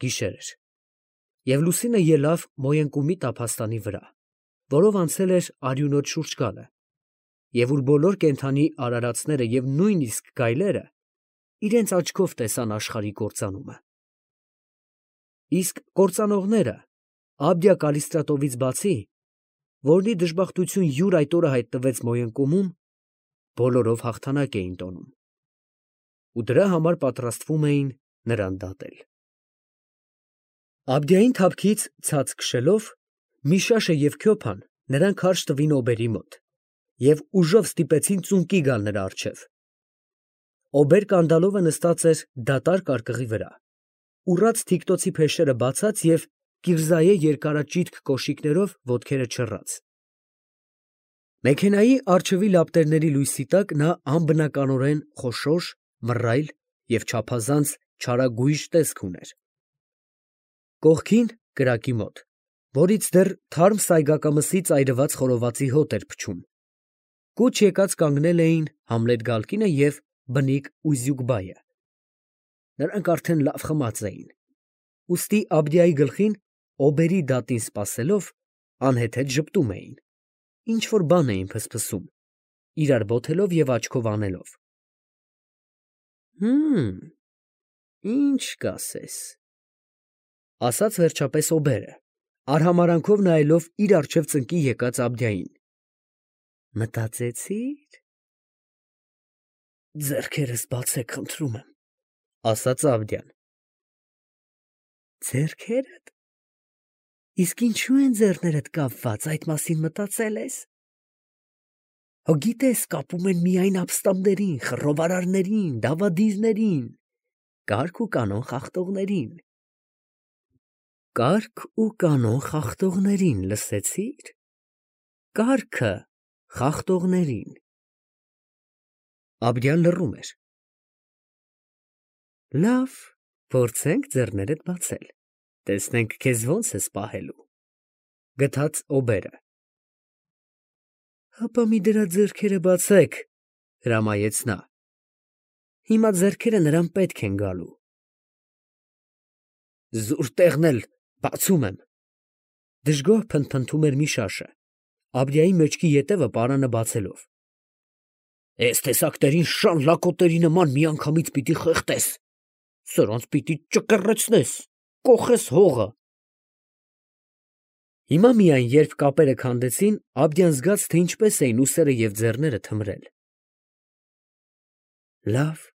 Գիշեր էր, և լուսինը ելավ Մոյենկումի տափաստանի վրա, որով անցել էր արյունոտ շուրջկալը, և ուր բոլոր կենդանի արարածները և նույնիսկ գայլերը իրենց աչքով տեսան աշխարհի կործանումը։ Իսկ կործանողները Աբդիա Կալիստրատովից բացի, որնի դժբախտություն յուր այդ օրը հայտնվեց Մոյենկումում, բոլորով հաղթանակ էին տոնում, ու դրա համար պատրաստվում էին նրան դատել։ Աբդիային թափքից ցած քշելով, Միշաշը և Քյոփան նրան քարշ տվին օբերի մոտ և ուժով ստիպեցին ծունկի գալ նրա առջև։ Օբեր֊կանդալովը նստած էր դատարկ արկղի վրա, ուռած թիկտոցի փեշերը բացած և կիրզայե երկարաճիտ կոշիկներով ոտքերը չռած։ Մեքենայի առջևի լապտերների լույսի տակ նա անբնականորեն խոշոր, մռայլ և չափազանց չարագույժ տեսք ուներ։ Կողքին, կրակի մոտ, որից դեռ թարմ սայգակամսից այրված խորովածի հոտ էր փչում, կուչ եկած կանգնել էին Համլետ Գալկինը և բնիկ Ուզյուկբայը։ Նրանք արդեն լավ խմած էին, ուստի Աբդիայի գլխին օբերի դատին սպասելով, անհեթեթ ժպտում էին, ինչ֊որ բան էին ֆսֆսում, իրար բոթելով և աչքով անելով։ Ինչ կասես, ֊ ասաց վերջապես օբերը, արհամարանքով նայելով իր առջև ծնկի եկած Աբդիային։ Մտածեցի՞ր։ Ձեռքերս բացեք, խնդրում եմ, ֊ ասաց Աբդիան։ Ձեռքերդ։ Իսկ ինչու են ձեռներդ կապված, այդ մասին մտածել ես։ Հո գիտես, կապում են միայն ապստամբներին, խռովարարներին, դավադիրներին, կարգ ու կանոն խախտողներին։ Կարգ ու կանոն խախտողներին, լսեցի՞ր։ Կարգը խախտողներին։ Աբդիան լռում էր։ Լավ, փորձենք ձեռներդ բացել, տեսնենք քեզ ոնց ես պահելու, ֊ գթած օբերը։ Հապա մի դրա ձեռքերը բացեք, ֊ հրամայեց նա։ Հիմա ձեռքերը նրան պետք են գալու։ Զուր տեղն էլ բացում եմ, ֊ դժգոհ փնթփնթում էր Միշաշը, Աբդիայի մեջքի ետևը պարանը բացելով։ Էս տեսակներին շան լակոտերի նման միանգամից պիտի խեղդես, սրանց պիտի ճկռեցնես, կոխես հողը։ Հիմա միայն, երբ կապերը քանդեցին, Աբդիան զգաց, թե ինչպես էին ուսերը և ձեռները թմրել։ Լավ,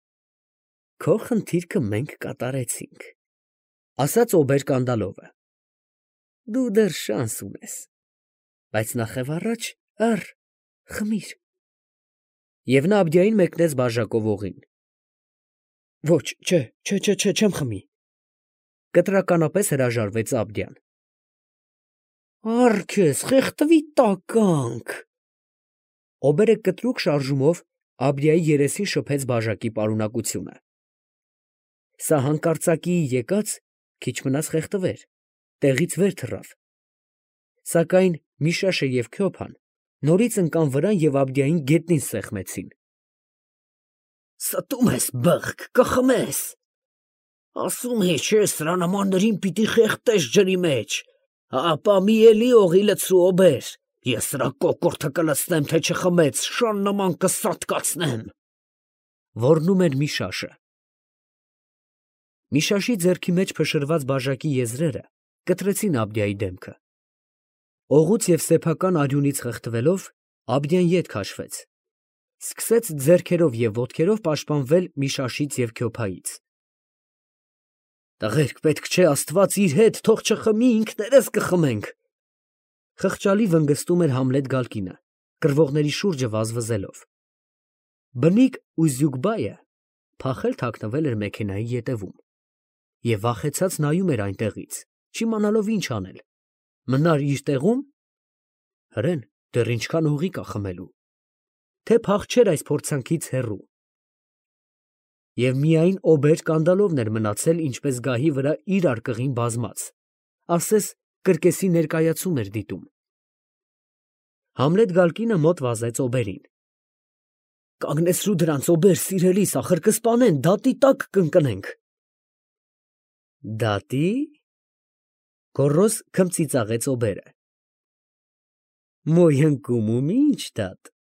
քո խնդիրքը մենք կատարեցինք, ֊ ասաց օբեր֊կանդալովը։ Դու դեռ շանս ունես, բայց նախևառաջ առ, խմիր։ Եվ նա Աբդիային մեկնեց բաժակով օղին։ Ոչ, չէ, չեմ խմի, ֊ կտրականապես հրաժարվեց Աբդիան։ Առ քեզ, խեղդվի տականք։ Օբերը կտրուկ շարժումով Աբդիայի երեսին շփեց բաժակի պարունակությունը։ Սա հանկարծակիի եկած, քիչ մնաց խեղդվեր, տեղից վեր թռավ։ Սակայն Միշաշը և Քյոփան նորից ընկան վրան և Աբդիային գետնին սեղմեցին։ Ստում ես, բղկ, կխմես։ Ասում էի, չէ, սրա նմաններին պիտի խեղդես ջրի մեջ, ապա մի էլի օղի լցրու օբեր, ես սրա կոկորդը կլցնեմ, թե չխմեց, շան նման կսատկացնեմ։ Ոռնում էր Միշաշը։ Միշաշի ձեռքի մեջ փշրված բաժակի եզրերը կտրեցին Աբդիայի դեմքը։ Օղուց և սեփական արյունից խեղդվելով, Աբդիան ետ քաշվեց, սկսեց ձեռքերով և ոտքերով պաշտպանվել Միշաշից և Քյոփայից։ Տղերք, պետք չէ, Աստված իր հետ, թող չխմի, ինքներս կխմենք, ֊ խղճալի վնգստում էր Համլետ Գալկինը, կռվողների շուրջը վազվզելով։ Բնիկ Ուզյուկբայը փախել թաքնվել էր մեքենայի ետևում և վախեցած նայում էր այնտեղից, չիմանալով ինչ անել, մնար իր տեղո՞ւմ, հրեն, դեռ ինչքան օղի կա խմելու, թե փախչեր այս փորձանքից հեռու։ Եվ միայն օբեր֊կանդալովն էր մնացել ինչպես գահի վրա իր արկղին բազմած, ասես կրկեսի ներկայացում էր դիտում։ Համլետ Գալկինը մոտ վազեց օբերին։ Կանգնեցրու դրանց, օբեր, սիրելիս, ախր կսպանեն, դատի տակ կընկնենք։ Դատի։ Գոռոզ քմծիծաղեց օբերը։ Մոյնկումում ինչ դատ։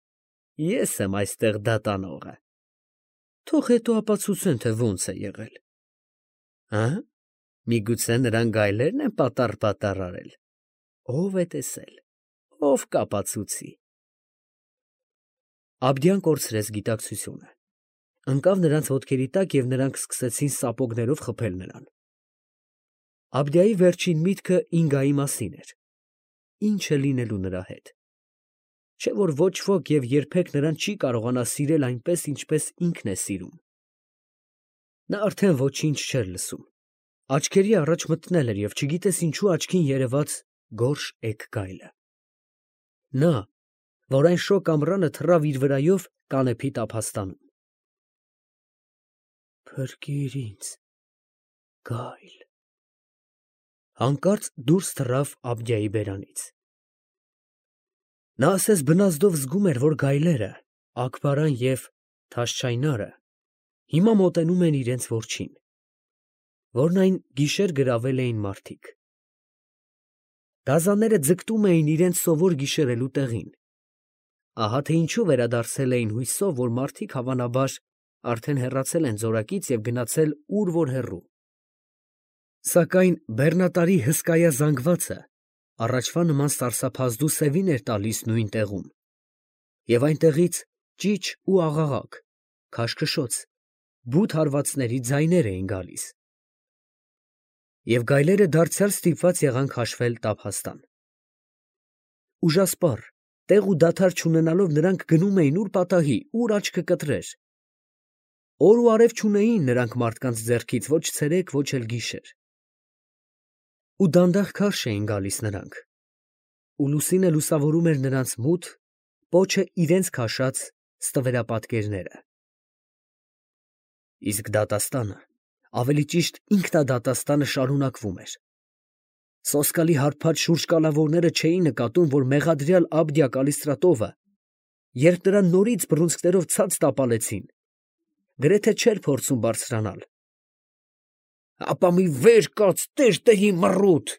Ես եմ այստեղ դատանողը։ Թող հետո ապացուցեն, թե ոնց է եղել։ Հա՞։ Միգուցե նրան գայլերն են պատառ արել։ Ով է տեսել։ Ով կապացուցի։ Աբդյան կորցրեց գիտակցությունը։ Ընկավ նրանց ոտքերի տակ և նրանք սկսեցին սապոգներով խփել նրան։ Աբդիայի վերջին միտքը Ինգայի մասին էր։ Ինչ է լինելու նրա հետ։ Չէ՞ որ ոչ ոք և երբեք նրան չի կարողանա սիրել այնպես, ինչպես ինքն է սիրում։ Նա արդեն ոչինչ չէր լսում։ Աչքերի առաջ մթնել էր և չգիտես ինչու աչքին երևաց գորշ էգ գայլը։ Նա, որ այն շոգ ամռանը թռավ իր վրայով կանեփի տափաստանում։ Փրկիր ինձ, գայլ։ Հանկարծ դուրս թռավ Աբդիայի բերանից։ Նա ասես բնազդով զգում էր, որ գայլերը, Աքբարան և Թաշչայնարը հիմա մոտենում են իրենց որջին, որն այն գիշեր գրավել էին մարդիկ։ Գազանները ձգտում էին իրենց սովոր գիշերելու տեղին։ Ահա թե ինչու վերադարձել էին հույսով, որ մարդիկ հավանաբար արդեն հեռացել են ձորակից և գնացել ուր որ հեռու։ Սակայն բեռնատարի հսկայազանգվածը առաջվա նման սարսափազդու սևին էր տալիս նույն տեղում, և այնտեղից ճիչ ու աղաղակ, քաշքշոց, բութ հարվածների ձայներ էին գալիս։ Եվ գայլերը դարձյալ ստիպված եղան քաշվել տափաստան։ Ուժասպառ, տեղ ու դադար չունենալով նրանք գնում էին ուր պատահի, ուր աչքը կտրեր։ Օր ու արև չունեին նրանք մարդկանց ձեռքից ոչ ցերեկ, ոչ էլ գիշեր։ Ու դանդաղ քարշ էին գալիս նրանք։ Ու լուսինը լուսավորում էր նրանց մութ, պոչը իրենց քաշած ստվերապատկերները։ Իսկ դատաստանը, ավելի ճիշտ ինքնադատաստանը շարունակվում էր։ Սոսկալի հարբած շուրջկալավորները չէին նկատում, որ մեղադրյալ Աբդիա Կալիստրատովը, երբ նրան նորից բռունցքներով ցած տապալեցին, գրեթե չէր փորձում բարձրանալ։ Ապա մի վեր կաց, տերտերի մռութ։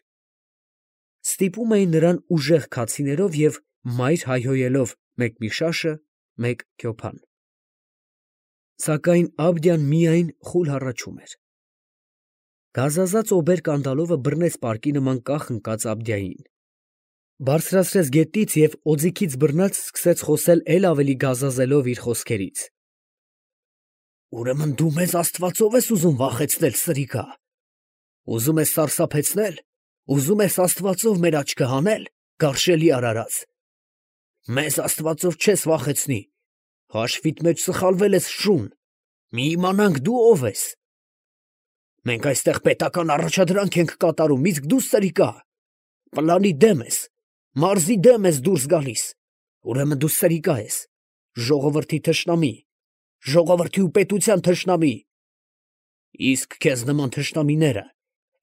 Ստիպում էին նրան ուժեղ քացիներով և մայր հայհոյելով մեկ մի շաշը, մեկ քյոփան։ Սակայն Աբդիան միայն խուլ հառաչում էր։ Գազազած օբեր կանդալովը բռնեց պարկի նման կախ ընկած Աբդիային, բարձրացրեց գետնից և օձիքից բռնած սկսեց խոսել էլ ավելի գազազելով իր խոսքերից։ Ուրեմն դու մեզ Աստվածով ես ուզում վախեցնել, սրիկա։ Ուզում ես սարսափեցնել, ուզում ես Աստվածով մեր աչքը հանել, գարշելի արարած։ Մեզ Աստվածով չես վախեցնի, հաշվիդ մեջ սխալվել ես, շուն, մի իմանանք դու ով ես։ Մենք այստեղ պետական առաջադրանք ենք կատարում, իսկ դու, սրիկա, պլանի դեմ ես, մարզի դեմ ես դուրս գալիս, ուրեմն դու սրիկա ես, ժողովրդի թշնամի, ժողովրդի ու պետության թշնամի։ Իսկ քեզ նման թշնամիները,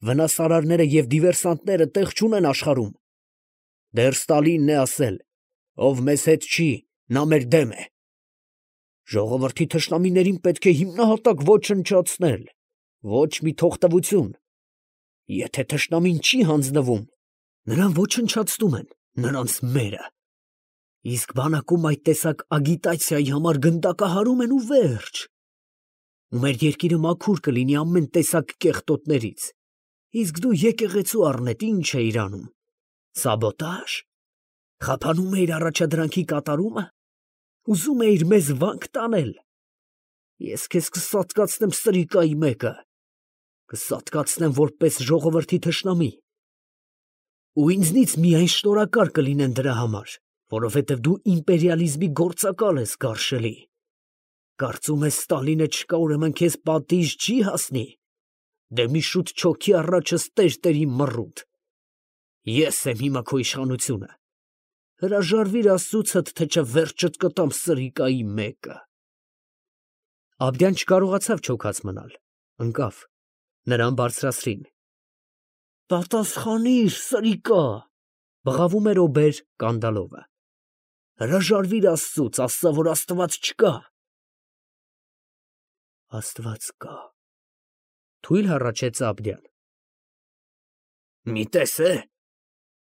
վնասարարները և դիվերսանտները տեղ չունեն աշխարհում։ Դեռ Ստալինն է ասել, ով մեզ հետ չի, նա մեր դեմ է։ Ժողովրդի թշնամիներին պետք է հիմնահատակ ոչնչացնել, ոչ մի թողտվություն։ Եթե թշնամին չի հանձնվում, նրան ոչնչացնում են, նրանց մերը։ Իսկ բանակում այդ տեսակ ագիտացիայի համար գնդակահարում են ու վերջ։ Ու մեր երկիրը մաքուր կլինի ամեն տեսակ կեղտոտներից, իսկ դու եկեղեցու առնետ ինչ էիր անում, սաբոտաժ, խափանում էիր առաջադրանքի կատարումը, ուզում էիր մեզ վանք տանել։ Ես քեզ կսատկացնեմ, սրիկայի մեկը, կսատկացնեմ որպես ժողովրդի թշնամի, ու ինձնից միայն շնորհակալ կլինեն դրա համար, որովհետև դու իմպերիալիզմի գործակալ ես, գարշելի։ Կարծում ես Ստալինը չկա, ուրեմն քեզ պատիժ չի հասնի։ Դե մի շուտ չոքի առաջս տերտերի մռութ։ Ես եմ հիմա քո իշխանությունը։ Հրաժարվիր Աստծուցդ, թե չէ վերջդ կտամ, սրիկայի մեկը։ Աբդյան չկարողացավ չոքած մնալ, ընկավ, նրան բարձրացրին։ Պատասխանիր, սրիկա, բղավում էր օբեր կանդալովը։ Հրաժարվիր Աստծուց, ասա, որ Աստված չկա։ Աստված կա, թույլ հառաչեց Աբդյան։ Մի տես է։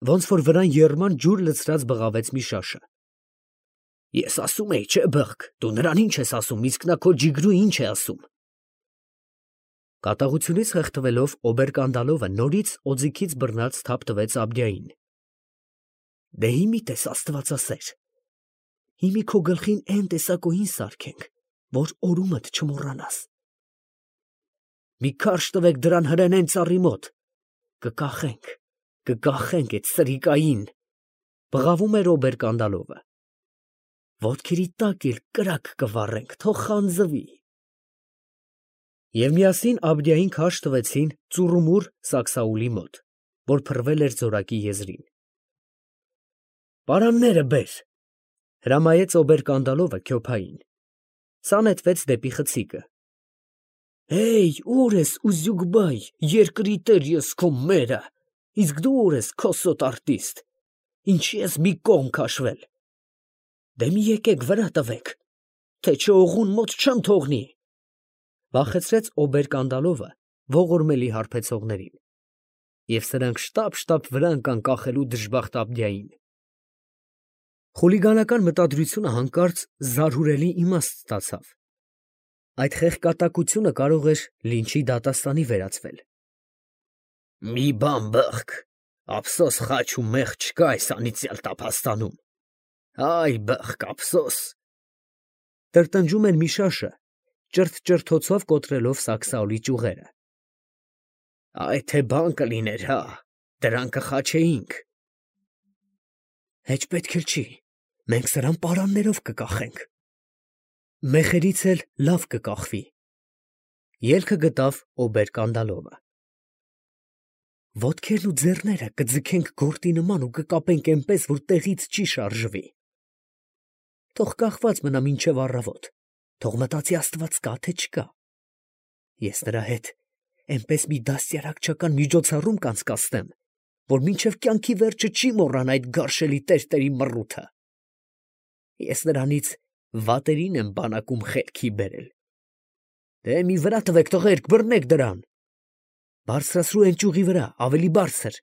Ոնց որ վրան երման ջուր լցրած բղավեց Միշաշը։ Ես ասում էի, չէ, բղկ, դու նրան ինչ ես ասում, իսկ նա քո ջիգրու ինչ է ասում։ Կատաղությունից խեղդվելով Օբերկանդալովը նորից օձիքից բռնած թափ տվեց Աբդիային։ Դե հիմի տես աստվածասեր։ Հիմի քո գլխին այն տեսակոյին սարքենք, որ օրումդ չմոռանաս։ Մի քարշ տվեք դրան հրենեն ծառի մոտ։ Կկախենք այդ սրիկային, բղավում էր Օբերկանդալովը։ Ոտքերի տակ էլ կրակ կվառենք, թող խանձվի։ Եվ միասին Աբդիային քարշ տվեցին ծուռումուռ Սաքսաուլի մոտ, որ փռվել էր ձորակի եզրին։ Պարանները բեր, հրամայեց Օբերկանդալովը քյոփային։ Սա նետվեց դեպի խցիկը։ Հեյ, ուր ես, Ուզյուգբայ, երկրի տեր ես քո մերը, իսկ դու ուր ես, քոսոտ արտիստ, ինչի ես մի կողմ քաշվել։ Դե մի եկեք վրա տվեք, թե չէ օղուն մոտ չեմ թողնի, վախեցրեց Օբերկանդալովը ողորմելի հարբեցողներին, և սրանք շտապ վրա ընկան կախելու դժբախտ Աբդիային։ Խուլիգանական մտադրությունը հանկարծ զարհուրելի իմաստ ստացավ։ Այդ խեղկատակությունը կարող էր լինչի դատաստանի վերածվել։ Մի բան բղկ, ափսոս խաչ ու մեղ չկա այս անիծյալ տափաստանում։ Այ բղկ, ափսոս։ Տրտնջում էր Միշաշը, ճրթչրթոցով կոտրելով Սաքսաուլի ճյուղերը։ Այ թե բան կլիներ, հա, դրան կխաչեինք։ Հեչ պետք էլ չի, մենք սրան պարաններով կկախենք։ Մեխերից էլ լավ կկախվի, ելքը գտավ Օբերկանդալովը։ Ոտքերն ու ձեռները կձգենք գորտի նման ու կկապենք այնպես, որ տեղից չի շարժվի։ Թող կախված մնա մինչև առավոտ, թող մտածի Աստված կա, թե չկա։ Ես նրա հետ այնպես մի դաստիարակչական միջոցառում կանցկացնեմ, որ մինչև կյանքի վերջը չի մոռանա այդ գարշելի տերտերի մռութը։ Ես նրանից վատերին եմ բանակում խելքի բերել։ Դե մի վրա տվեք, տղերք, բռնեք դրան։ Բարձրացրու այն ճյուղի վրա, ավելի բարձր։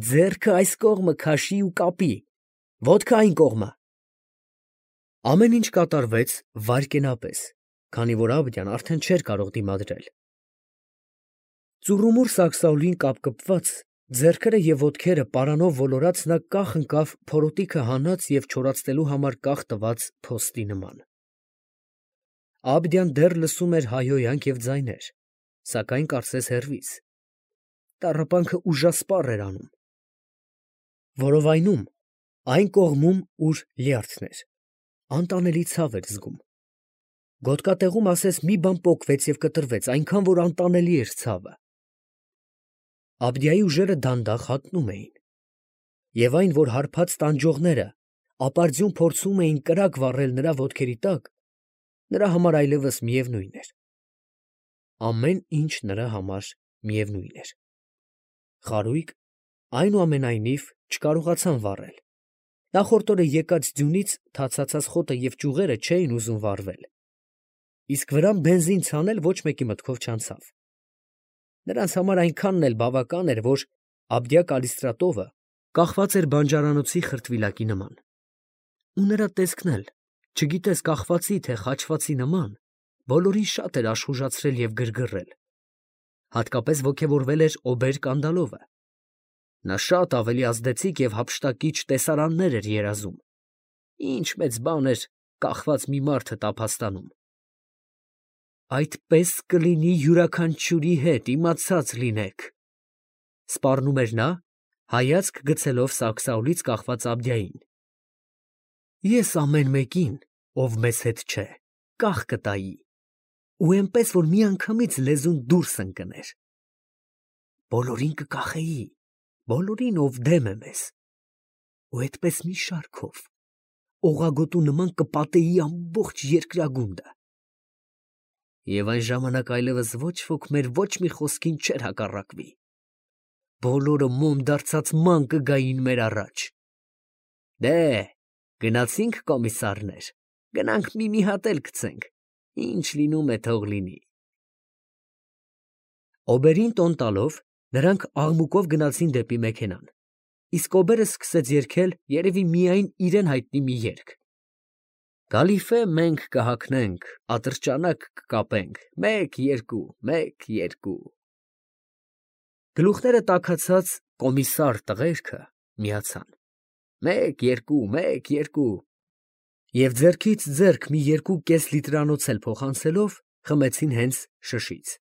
Ձեռքը այս կողմը քաշի ու կապի, ոտքը այն կողմը։ Ամեն ինչ կատարվեց վայրկենապես, քանի որ Աբդյան արդեն չէր կարող դիմադրել։ Ծուռումուռ Սաքսաուլին կապկպված, ձեռքերը և ոտքերը պարանով ոլորած նա կախ ընկավ փորոտիքը հանած և չորացնելու համար կախ տված փոստի նման։ Աբդյան դեռ լսում էր հայհոյանք և ձայներ, սակայն կարծես հեռվից։ Տառապանքը ուժասպառ էր անում։ Որովայնում, այն կողմում, ուր լյարդն էր, անտանելի ցավ էր զգում։ Գոտկատեղում ասես մի բան պոկվեց և կտրվեց, այնքան որ անտանելի էր ցավը։ Աբդիայի ուժերը դանդաղ հատնում էին, և այն, որ հարբած տանջողները ապարդյուն փորձում էին կրակ վառել նրա ոտքերի տակ, նրա համար այլևս միևնույն էր։ Ամեն ինչ նրա համար միևնույն էր։ Խարույկ, այնուամենայնիվ, չկարողացան վառել։ Նախորդ օրը եկած ձյունից թացացած խոտը և ճյուղերը չէին ուզում վառվել, իսկ վրան բենզին ցանել ոչ մեկի մտքով չանցավ։ Նրանց համար այնքանն էլ բավական էր, որ Աբդիա-Կալիստրատովը կախված էր բանջարանոցի խրտվիլակի նման։ Ու նրա տեսքն էլ, չգիտես կախվածի, թե խաչվածի նման, բոլորին շատ էր աշխուժացրել և գրգռել։ Հատկապես ոգևորվել էր Օբերկանդալովը։ Նա շատ ավելի ազդեցիկ և հափշտակիչ տեսարաններ էր երազում։ Ինչ մեծ բան էր կախված մի մարդը տափաստանում։ Այդպես կլինի յուրաքանչյուրի հետ, իմացած լինեք, սպառնում էր նա, հայացք գցելով Սաքսաուլից կախված Աբդիային։ Ես ամեն մեկին, ով մեզ հետ չէ, կախ կտայի, ու այնպես, որ միանգամից լեզուն դուրս ընկներ։ Բոլորին կկախեի, բոլորին, ով դեմ է մեզ, ու այդպես մի շարքով, օղագոտու նման կպատեի ամբողջ երկրագունդը։ Եվ այն ժամանակ այլևս ոչ ոք մեր ոչ մի խոսքին չէր հակառակվի։ Բոլորը մոմ դարձած ման կգային մեր առաջ։ Դե, գնացինք, կոմիսարներ, գնանք մի հատ էլ գցենք, ինչ լինում է թող լինի։ Օբերին տոն տալով, Նրանք աղմուկով գնացին դեպի մեքենան, իսկ օբերը սկսեց երգել երևի միայն իրան հայտնի մի երգ. «Կալիֆե մենք կհագնենք, ատրճանակ կկապենք, մեկ, երկու, մեկ, երկու»։ Գլուխները տաքացած կոմիսար տղերքը միացան. «Մեկ, երկու, մեկ, երկու» և ձեռքից ձեռք մի երկու կես լիտրանոց էլ փոխանցելով խմեցին հենց շշից։